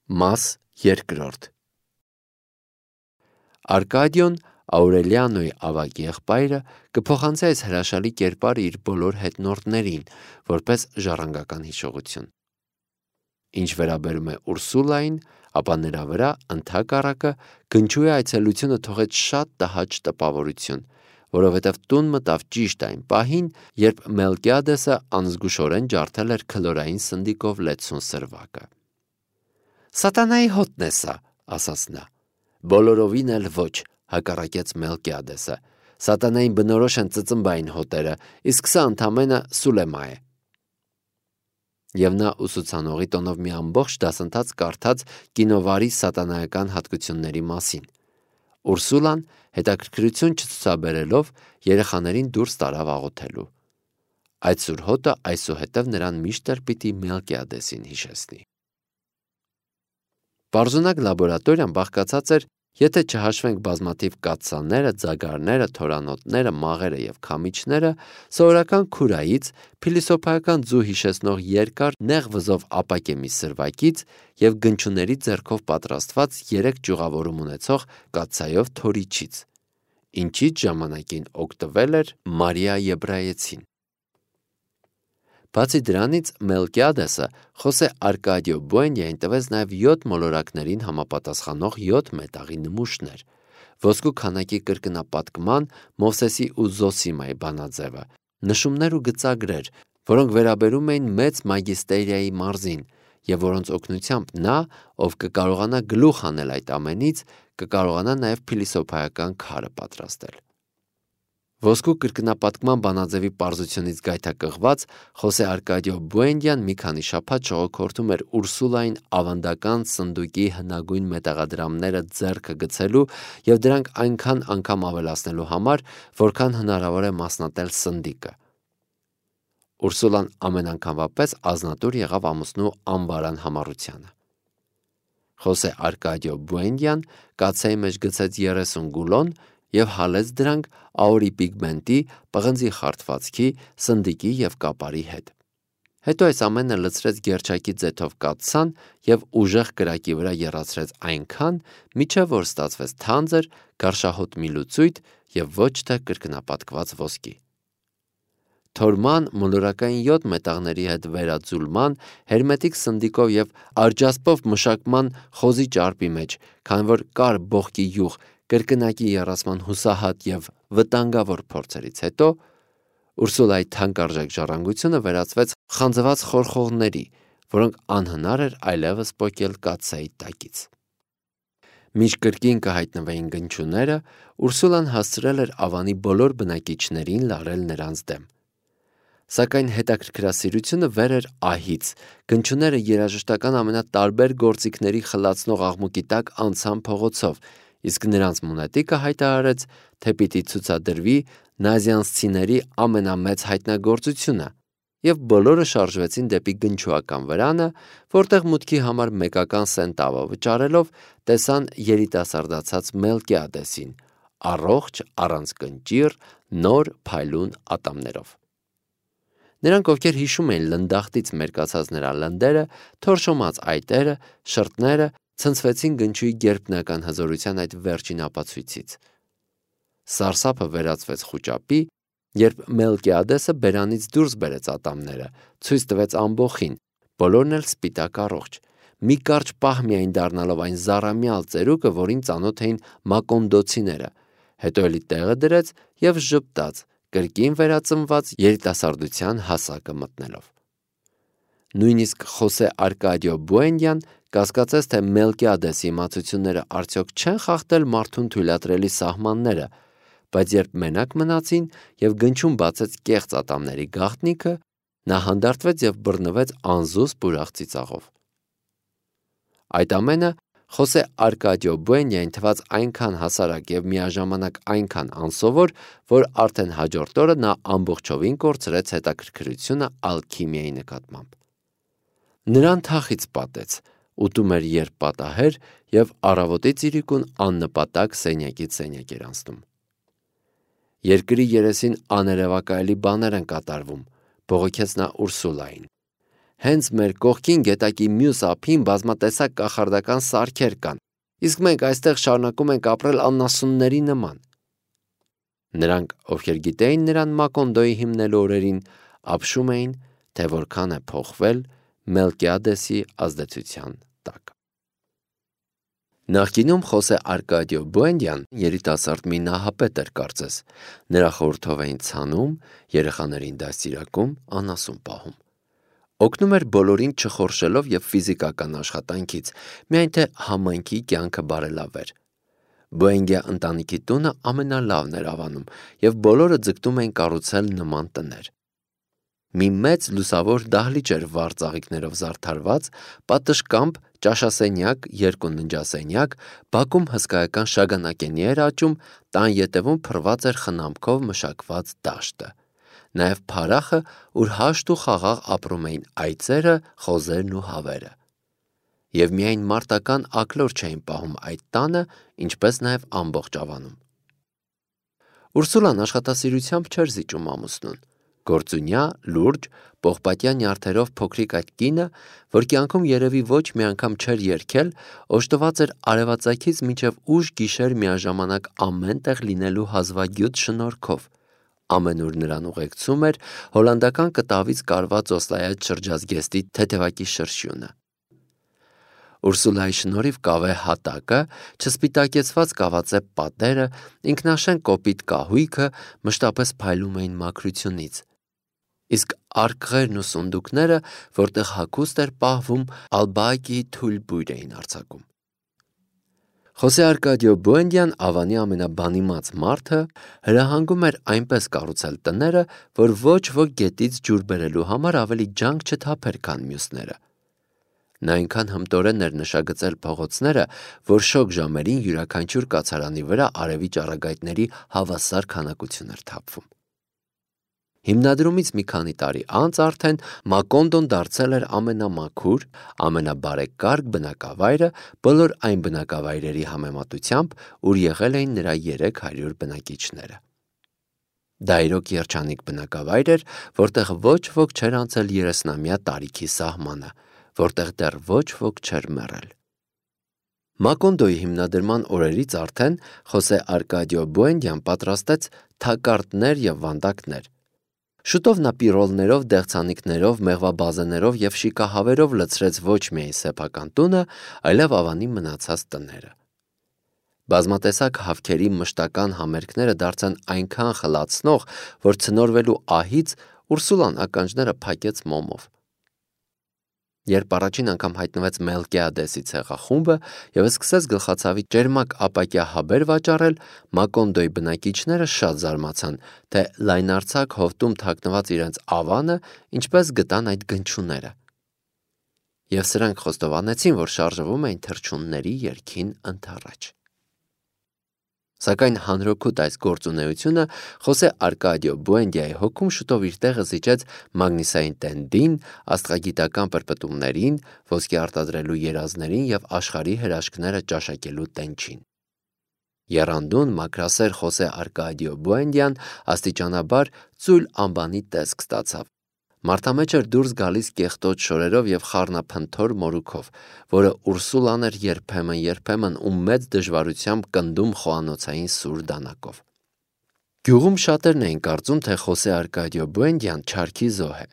Մաս երկրորդ Արկադիոն Աուրելիանոյի ավագ եղբայրը կփոխանցի այս հրաշալի կերպարը իր բոլոր հետնորդներին, որպես ժառանգական հիշողություն։ Ինչ վերաբերում է Ուրսուլային, ապա նրա վրա ընդհակառակը գնչուի այցելությունը թողեց շատ տհաճ տպավորություն, որովհետև տուն մտավ ճիշտ այն պահին, երբ Մելկիադեսը անզգուշորեն ջարդել էր քլորային սնդիկով լեցուն սրվակը։ «Սատանայի հոտն է սա», ասաց նա։ «Բոլորովին էլ ոչ», հակառակեց Մելկիադեսը։ «Սատանային բնորոշ են ծծմբային հոտերը, իսկ սա ընդամենը Սուլեմա է»։ Եվ նա ուսուցանողի տոնով մի ամբողջ դասընթաց կարդաց կինովարի սատանայական հատկությունների մասին։ Ուրսուլան հետաքրքրություն չցուցաբերելով երեխաներին դուրս տարավ աղոթելու։ Այդ սուր հոտը այսուհետև նրան միշտ էլ պիտի Մելկիադեսին հիշեցնի։ Պարզունակ լաբորատորիան բաղկացած էր, եթե չհաշվենք բազմաթիվ կաթսաները, ձագարները, թորանոտները, մաղերը և քամիչները, սովորական քուրայից, փիլիսոփայական ձու հիշեցնող երկար նեղ վզով ապակե մի սրվակից և գնչուների ձեռքով պատրաստված 3 ճյուղավորում ունեցող կաթսայով թորիչից, ինչից ժամանակին օգտվել էր Մարիա Եբրայեցին։ Բացի դրանից Մելկիադեսը Խոսե Արկադիո Բուենդիային տվեց նաև 7 մոլորակներին համապատասխանող 7 մետաղի նմուշներ, ոսկու քանակի կրկնապատկման Մովսեսի ու Զոսիմայի բանաձևը, նշումներ ու գծագրեր, որոնք վերաբերում էին մեծ մագիստերիայի մարզին, և որոնց օգնությամբ նա, ով կկարողանա գլուխ հանել այդ ամենից, կկարողանա նաև փիլիսոփայական քարը պատրաստել։ Ոսկու կրկնապատկման բանաձևի պարզությունից գայթակղված Խոսե Արկադիո Բուենդիան մի քանի շաբաթ ժողոքորթում էր Ուրսուլային ավանդական սնդուկի հնագույն մետաղադրամները ձեռքը գցելու և դրանք այնքան անգամ ավելացնելու համար, որքան հնարավոր է մասնատել սնդիկը։ Ուրսուլան ամեն անգամվա պես ազնատուր եղավ ամուսնու անբարան համառությանը։ Խոսե Արկադիո Բուենդիան կաթսայի մեջ գցեց 30 գուլոն և հալեց դրանք աուրի պիգմենտի, պղնձի խարդվածքի, սնդիկի և կապարի հետ։ Հետո այս ամենը լցրեց գերչակի ձեթով կաթսան և ուժեղ կրակի վրա եռացրեց այնքան, մինչև որ ստացվեց թանձր, գարշահոտ մի լուծույթ և ոչ թե կրկնապատկված ոսկի։ Թորման, մոլորակային 7 մետաղների հետ վերաձուլման, հերմետիկ սնդիկով և արջասպով մշակման խոզի ճարպի մեջ, քանի որ կար բողկի յուղ, կրկնակի եռացման հուսահատ և վտանգավոր փորձերից հետո Ուրսուլայի թանկարժեք ժառանգությունը վերածվեց խանձված խորխողների, որոնք անհնար էր այլևս պոկել կաթսայի տակից։ Մինչ կրկին կհայտնվեին գնչուները, Ուրսուլան հասցրել էր Ավանի բոլոր բնակիչներին լարել նրանց դեմ։ Սակայն հետաքրքրասիրությունը վեր էր ահից, գնչուները երաժշտական ամենատարբեր գործիքների խլացնող աղմուկի տակ անցան փողոցով, իսկ նրանց մունետիկը հայտարարեց, թե պիտի ցուցադրվի նազիանցիների ամենամեծ հայտնագործությունը, և բոլորը շարժվեցին դեպի գնչուական վրանը, որտեղ մուտքի համար մեկական սենտավո վճարելով տեսան երիտասարդացած Մելկիադեսին, առողջ, առանց կնճիռ, նոր փայլուն ատամներով։ Նրանք, ովքեր հիշում էին լնդախտից մերկացած նրա լնդերը, թորշոմած այտերը, շրթները, ցնցվեցին գնչուի գերբնական հզորության այդ վերջին ապացույցից։ Սարսափը վերածվեց խուճապի, երբ Մելկիադեսը բերանից դուրս բերեց ատամները, ցույց տվեց ամբոխին, բոլորն էլ սպիտակ առողջ, մի կարճ պահ միայն դառնալով այն զառամյալ ծերուկը, որին ծանոթ էին մակոնդոցիները, հետո էլի տեղը դրեց և ժպտաց, կրկին վերածնված երիտասարդության հասակը մտնելով։ Նույնիսկ Խոսե Արկադիո Բուենդիան կասկածեց, թե Մելկիադեսի իմացությունները արդյոք չեն խախտել մարդուն թույլատրելի սահմանները, բայց երբ մենակ մնացին և գնչուն բացեց կեղծ ատամների գաղտնիքը, նա հանդարտվեց և բռնվեց անզուսպ ուրախ ծիծաղով։ Այդ ամենը Խոսե Արկադիո Բուենդիային թվաց այնքան հասարակ և միաժամանակ այնքան անսովոր, որ արդեն հաջորդ օրը նա ամբողջովին կորցրեց հետաքրքրությունը ալքիմիայի նկատմամբ։ Նրան թախիծ պատեց, ուտում էր երբ պատահեր և առավոտից իրիկուն աննպատակ սենյակից սենյակ էր անցնում։ Երկրի երեսին աներևակայելի բաներ են կատարվում, բողոքեց նա Ուրսուլային։ Հենց մեր կողքին գետակի մյուս ափին բազմատեսակ կախարդական սարքեր կան, իսկ մենք այստեղ շարունակում ենք ապրել անասունների նման։ Նրանք, ովքեր գիտեին նրան Մակոնդոյի հիմնելու օրերին, ապշում էին, թե որքան է փոխվել Մելկիադեսի ազդեցության տակ։ Նախկինում Խոսե Արկադիո Բուենդյան երիտասարդ մի նահապետ էր կարծես, նրա խորհրդով էին ցանում, երեխաներին դաստիարակում, անասուն պահում։ Օգնում էր բոլորին չխորշելով և ֆիզիկական աշխատանքից, միայն թե համայնքի կյանքը բարելավեր։ Բուենգյա ընտանիքի տունը ամենալավն էր Ավանում, և բոլորը ձգտում էին կառուցել նման տներ։ Մի մեծ լուսավոր դահլիճ էր վառ ծաղիկներով զարդարված, պատշգամբ ճաշասենյակ, 2 ննջասենյակ, բակում հսկայական շագանակենի էր աճում, տան ետևում փռված էր խնամքով մշակված դաշտը, նաև փարախը, ուր հաշտ ու խաղաղ ապրում էին այծերը, խոզերն ու հավերը։ Եվ միայն մարտական աքլոր չէին պահում այդ տանը, ինչպես նաև ամբողջ Ավանում։ Ուրսուլան աշխատասիրությամբ չէր զիջում ամուսնուն։ Գործունյա, լուրջ, պողպատյա նյարդերով փոքրիկ այդ կինը, որ կյանքում երևի ոչ մի անգամ չէր երգել, օժտված էր արևածագից մինչև ուշ գիշեր միաժամանակ ամեն տեղ լինելու հազվագյուտ շնորհքով։ Ամենուր նրան ուղեկցում էր հոլանդական կտավից կարված օսլայած շրջազգեստի թեթևակի շրշյունը։ Ուրսուլայի շնորհիվ կավե հատակը, չսպիտակեցված կավածե պատերը, ինքնաշեն կոպիտ կահույքը մշտապես փայլում էին մաքրությունից, իսկ արկղերն ու սունդուկները, որտեղ հագուստ էր պահվում, ալբաակիի թույլ բույր էին արձակում։ Խոսե Արկադիո Բուենդյան Ավանի ամենաբանիմաց մարդը հրահանգում էր այնպես կառուցել տները, որ ոչ ոք գետից ջուր բերելու համար ավելի ջանք չթափեր, քան մյուսները։ Նա այնքան հմտորեն էր նշագծել փողոցները, որ շոգ ժամերին յուրաքանչյուր կացարանի վրա արևի ճառագայթների հավասար քանակություն էր թափվում։ Հիմնադրումից մի քանի տարի անց արդեն Մակոնդոն դարձել էր ամենամաքուր, ամենաբարեկարգ բնակավայրը բոլոր այն բնակավայրերի համեմատությամբ, ուր եղել էին նրա 300 բնակիչները։ Դա իրոք երջանիկ բնակավայր էր, որտեղ ոչ ոք չէր անցել 30-ամյա տարիքի սահմանը, որտեղ դեռ ոչ ոք չէր մեռել։ Մակոնդոյի հիմնադրման օրերից արդեն Խոսե Արկադիո Բուենդյան պատրաստեց թակարդներ և վանդակներ։ Շուտով նա պիրոլներով, դեղցանիկներով, մեղվաբազեներով և շիկահավերով լցրեց ոչ միայն սեփական տունը, այլև Ավանի մնացած տները։ Բազմատեսակ հավքերի մշտական համերգները դարձան այնքան խլացնող, որ ցնորվելու ահից Ուրսուլան ականջները փակեց մոմով։ Երբ առաջին անգամ հայտնվեց Մելկիադեսի ցեղախումբը և սկսեց գլխացավի ճերմակ ապակյա հաբեր վաճառել, Մակոնդոյի բնակիչները շատ զարմացան, թե լայնարձակ հովտում թաքնված իրենց Ավանը ինչպես գտան այդ գնչուները։ Եվ սրանք խոստովանեցին, որ շարժվում էին թռչունների երգին ընդառաջ։ Սակայն հանրօգուտ այս գործունեությունը Խոսե Արկադիո Բուենդյայի հոգում շուտով իր տեղը զիջեց մագնիսային տենդին, աստղագիտական պրպտումներին, ոսկի արտադրելու երազներին և աշխարհի հրաշքները ճաշակելու տենչին։ Եռանդուն մաքրասեր Խոսե Արկադիո Բուենդյան աստիճանաբար ծույլ անբանի տեսք ստացավ։ Մարդամեջ էր դուրս գալիս կեղտոտ շորերով և խառնափնթոր մորուքով, որը Ուրսուլան էր երբեմն ու մեծ դժվարությամբ կնդում խոհանոցային սուր դանակով։ Գյուղում շատերն էին կարծում, թե Խոսե Արկադիո Բուենդյան չարքի զոհ է,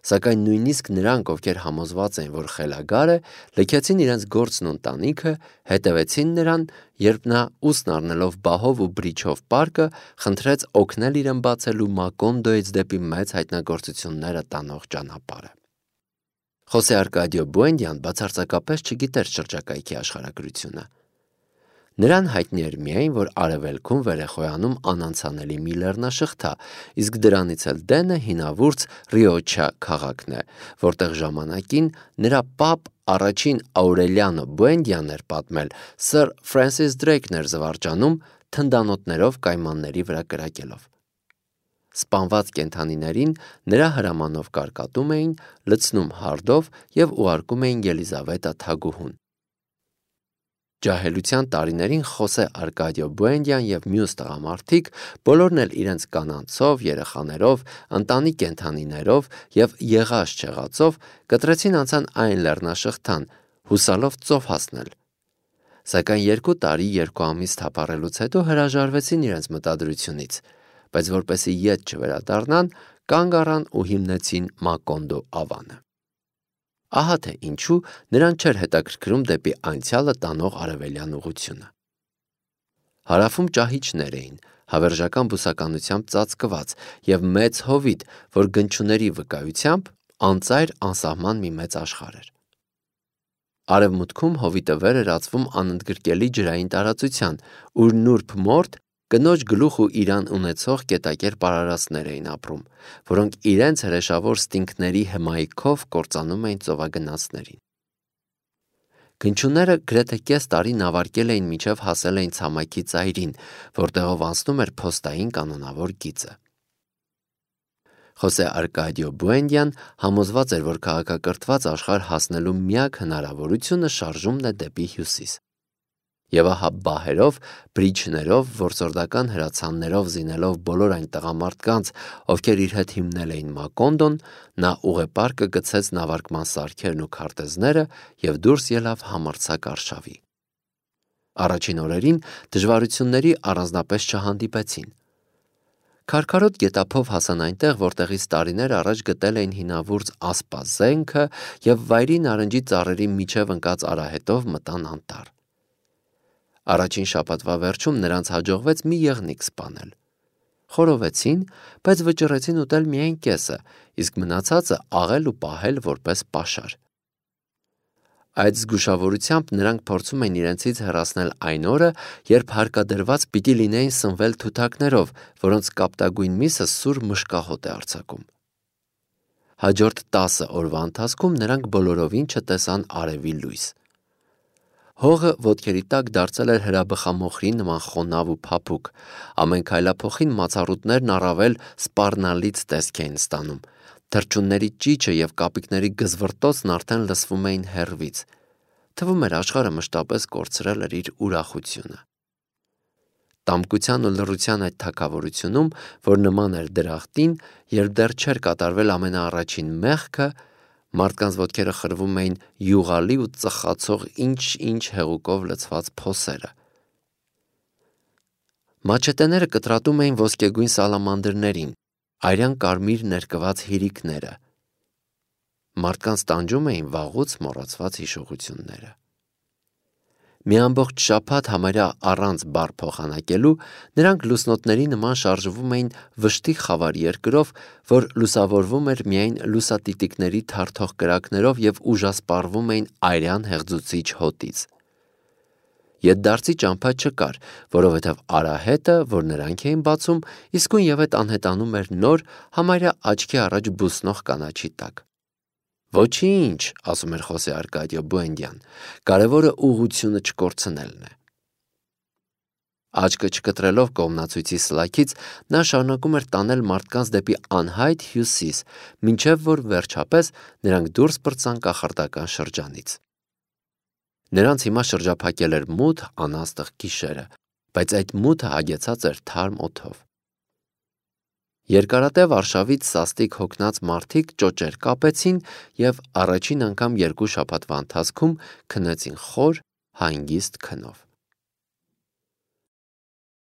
սակայն նույնիսկ նրանք, ովքեր համոզված էին, որ խելագար է, լքեցին իրենց գործն ու ընտանիքը, հետևեցին նրան, երբ նա ուսն առնելով բահով ու բրիչով պարկը, խնդրեց օգնել իրեն բացելու Մակոնդոյից դեպի մեծ հայտնագործությունները տանող ճանապարհը։ Խոսե Արկադիո Բուենդյան բացարձակապես չգիտեր շրջակայքի աշխարհագրությունը։ Նրան հայտնի էր միայն, որ արևելքում վեր է խոյանում անանցանելի մի լեռնաշղթա, իսկ դրանից էլ դենը հինավուրց Ռիոչա քաղաքն է, որտեղ ժամանակին նրա պապ առաջին Աուրելիանո Բուենդյան էր պատմել, սր Ֆրենսիս Դրեյքն էր զվարճանում, թնդանոթներով կայմանների վրա կրակելով։ Սպանված կենդանիներին նրա հրամանով կարկատում էին, լցնում հարդով և ուղարկում էին Ելիզավետա թագուհուն։ Ջահելության տարիներին Խոսե Արկադիո Բուենդյան եւ մյուս տղամարդիկ բոլորն էլ իրենց կանանցով, երեխաներով, ընտանի կենդանիներով եւ եղած չեղածով կտրեցին անցան այն լեռնաշղթան, հուսալով ծով հասնել։ Սակայն 2 տարի 2 ամիս թափառելուց հետո հրաժարվեցին իրենց մտադրությունից, բայց որպեսզի ետ չվերադառնան, կանգ առան ու հիմնեցին Մակոնդո ավանը։ Ահա թե ինչու նրան չէր հետաքրքրում դեպի անցյալը տանող արևելյան ուղությունը։ Հարավում ճահիճներ էին, հավերժական բուսականությամբ ծածկված եւ մեծ հովիտ, որ գնչուների վկայությամբ անծայր անսահման մի մեծ աշխարհ էր։ Արևմուտքում հովիտը վեր էր ածվում անընդգրկելի ջրային տարածության, ուր նուրբ մորթ կնոջ գլուխ ու իրան ունեցող կետակեր պարարածներ էին ապրում, որոնք իրենց հրեշավոր ստինքների հմայքով կործանում էին ծովագնացներին։ Գնչուները գրեթե կես տարի նավարկել էին մինչև հասել էին ցամաքի ծայրին, որտեղով անցնում էր փոստային կանոնավոր գիծը։ Խոսե Արկադիո Բուենդյան համոզված էր, որ քաղաքակրթված աշխարհ հասնելու միակ հնարավորությունը շարժումն է դեպի հյուսիս։ Եվ ահա բահերով, բրիջներով, որսորդական հրացաններով զինելով բոլոր այն տղամարդկանց, ովքեր իր հետ հիմնել էին Մակոնդոն, նա ուղեպարկը գցեց նավարկման սարքերն ու քարտեզները եւ դուրս ելավ համարձակ արշավի։ Առաջին օրերին դժվարությունների առանձնապես չհանդիպեցին։ Քարքարոտ գետափով հասան այնտեղ, որտեղից տարիներ առաջ գտել էին հինավուրց ասպազենքը եւ վայրի նարնջի ծառերի միջև ընկած արահետով մտան անտառ։ Առաջին շաբաթվա վերջում նրանց հաջողվեց մի եղնիկ սպանել։ Խորովեցին, բայց վճռեցին ուտել միայն կեսը, իսկ մնացածը աղել ու պահել որպես պաշար։ Այդ զգուշավորությամբ նրանք փորձում էին իրենցից հեռացնել այն օրը, երբ հարկադրված պիտի լինեին սնվել թութակներով, որոնց կապտագույն միսը սուր մշկահոտ է արձակում։ Հաջորդ 10 օրվա ընթացքում նրանք բոլորովին չտեսան արևի լույս։ Հողը ոտքերի տակ դարձել էր հրաբխամոխրի նման խոնավ ու փափուկ, ամեն քայլափոխին մացառուտներն առավել սպառնալից տեսք էին ստանում, թռչունների ճիչը և կապիկների գզվռտոցն արդեն լսվում էին հեռվից, թվում էր աշխարհը մշտապես կորցրել էր իր ուրախությունը։ Տամկության ու լռության այդ թագավորությունում, որ նման էր դրախտին, երբ դեռ չէր կատարվել ամենաառաջին մեղքը, մարդկանց ոտքերը խրվում էին յուղալի ու ծխացող ինչ-ինչ հեղուկով լցված փոսերը։ Մաչետեները կտրատում էին ոսկեգույն սալամանդրներին, արյան կարմիր ներկված հիրիկները։ Մարդկանց տանջում էին վաղուց մոռացված հիշողությունները։ Մի ամբողջ շաբաթ համարյա առանց բառ փոխանակելու նրանք լուսնոտների նման շարժվում էին վշտի խավար երկրով, որ լուսավորվում էր միայն լուսատիտիկների թարթող կրակներով և ուժասպառվում էին արյան հեղձուցիչ հոտից։ Ետդարձի ճամփա չկար, որովհետև արահետը, որ նրանք էին բացում, իսկույն ևեթ անհետանում էր նոր, համարյա աչքի առաջ բուսնող կանաչի տակ։ Ոչինչ, ասում էր Խոսե Արկադիո Բուենդյան, կարևորը ուղղությունը չկորցնելն է։ Աչքը չկտրելով կողմնացույցի սլաքից, նա շարունակում էր տանել մարդկանց դեպի անհայտ հյուսիս, մինչև որ վերջապես նրանք դուրս պրծան կախարդական շրջանից։ Նրանց հիմա շրջափակել էր մութ անաստղ գիշերը, բայց այդ մութը հագեցած էր թարմ օդով։ Երկարատև արշավից սաստիկ հոգնած մարդիկ ճոճեր կապեցին և առաջին անգամ 2 շաբաթվա ընթացքում քնեցին խոր, հանգիստ քնով։